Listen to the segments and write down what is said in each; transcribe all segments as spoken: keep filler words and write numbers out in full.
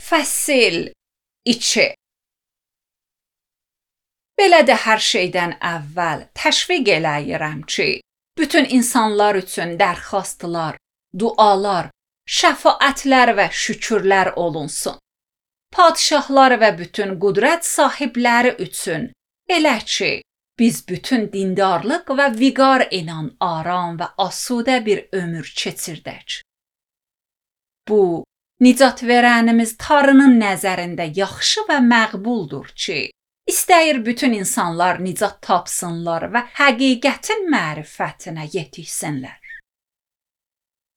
Fəsil iki. Belə də hər şeydən əvvəl təşviq eləyirəm ki, bütün insanlar üçün dərxastlar, dualar, şəfaətlər və şükürlər olunsun. Padişahlar və bütün qüdrət sahibləri üçün, elə ki, biz bütün dindarlıq və viqar inan aram və asudə bir ömür keçirdək. Bu, nicat verənimiz Tanrının nəzərində yaxşı və məqbuldur ki, istəyir bütün insanlar nicat tapsınlar və həqiqətin mərifətinə yetişsinlər.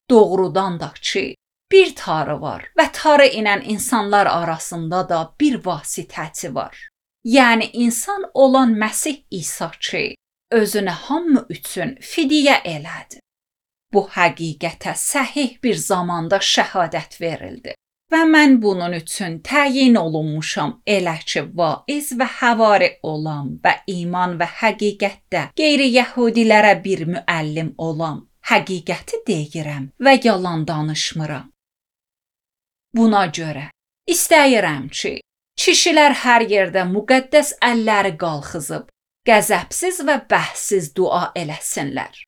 Doğrudan da ki, bir Tanrı var və Tanrı ilə insanlar arasında da bir vasitəçi var. Yəni insan olan Məsih İsa ki, özünü hamı üçün fidyə elədi. Bu həqiqətə səhih bir zamanda şəhadət verildi və mən bunun üçün təyin olunmuşam elə ki, vaiz və həvari olam və iman və həqiqətdə qeyri-yəhudilərə bir müəllim olam. Həqiqəti deyirəm və yalan danışmıram. Buna görə istəyirəm ki, kişilər hər yerdə müqəddəs əlləri qalxızıb, qəzəbsiz və bəhssiz dua eləsinlər.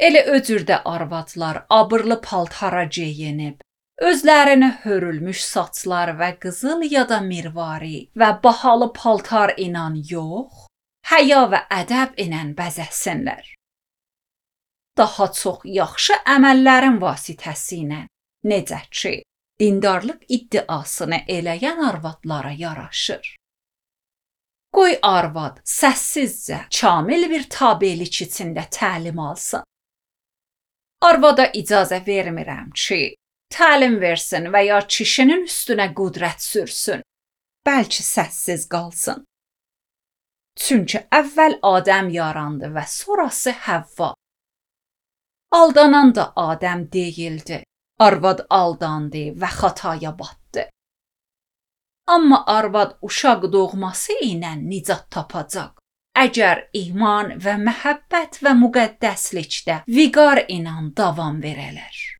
Elə o cürdə arvadlar abırlı paltara geyinib, özlərini hörülmüş saçlar və qızıl ya da mirvari və bahalı paltar ilə yox, həya və ədəb ilə bəzəsinlər. Daha çox yaxşı əməllərin vasitəsilə, necə ki, dindarlıq iddiasını eləyən arvadlara yaraşır. Qoy arvad səssizcə, kamil bir tabelik içində təlim alsın. Arvada icazə vermirəm ki, təlim versin və ya kişinin üstünə qüdrət sürsün, bəlkə səssiz qalsın. Çünki əvvəl Adəm yarandı və sonrası Həvva. Aldanan da Adəm deyildi, arvad aldandı və xataya batdı. Amma arvad uşaq doğması ilə nicat tapacaq. Əgər iman və məhəbbət və müqəddəslikdə viqar ilə davam verələr.